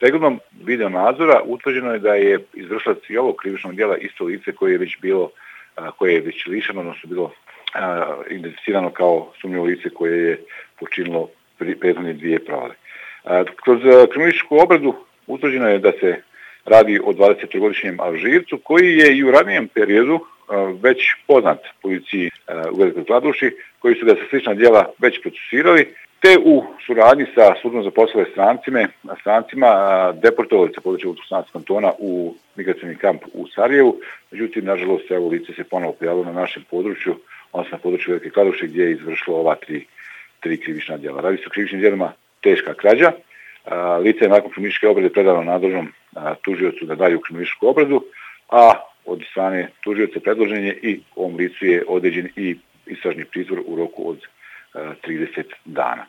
Pregledom video nadzora utvrđeno je da je izvršilac i ovog krivičnog djela isto lice koje je već bilo, koje je već lišeno, odnosno bilo identificirano kao sumnjivo lice koje je počinilo prethodne 2 provale. Kroz kriminalističku obradu utvrđeno je da se radi o 23-godišnjem Alžircu koji je i u ranijem periodu već poznat policiji u Velikoj Kladuši, koji su ga za slična djela već procesuirali, te u suradnji sa službom za poslove strancima deportovali sa područja Vukovarskog kantona u migracioni kamp u Sarajevu. Međutim, nažalost, evo lice se ponovo pojavilo na našem području, odnosno na području Velike Kladuše, gdje je izvršilo ova tri krivična djela. Radi se o krivičnim djelima teška krađa. Lice je nakon kriminalističke obrade predano nadležnom tužiocu da daju kriminalističku obradu, a od strane tužioca predložen je i ovom licu je određen i istražni pritvor u roku od 30 dana.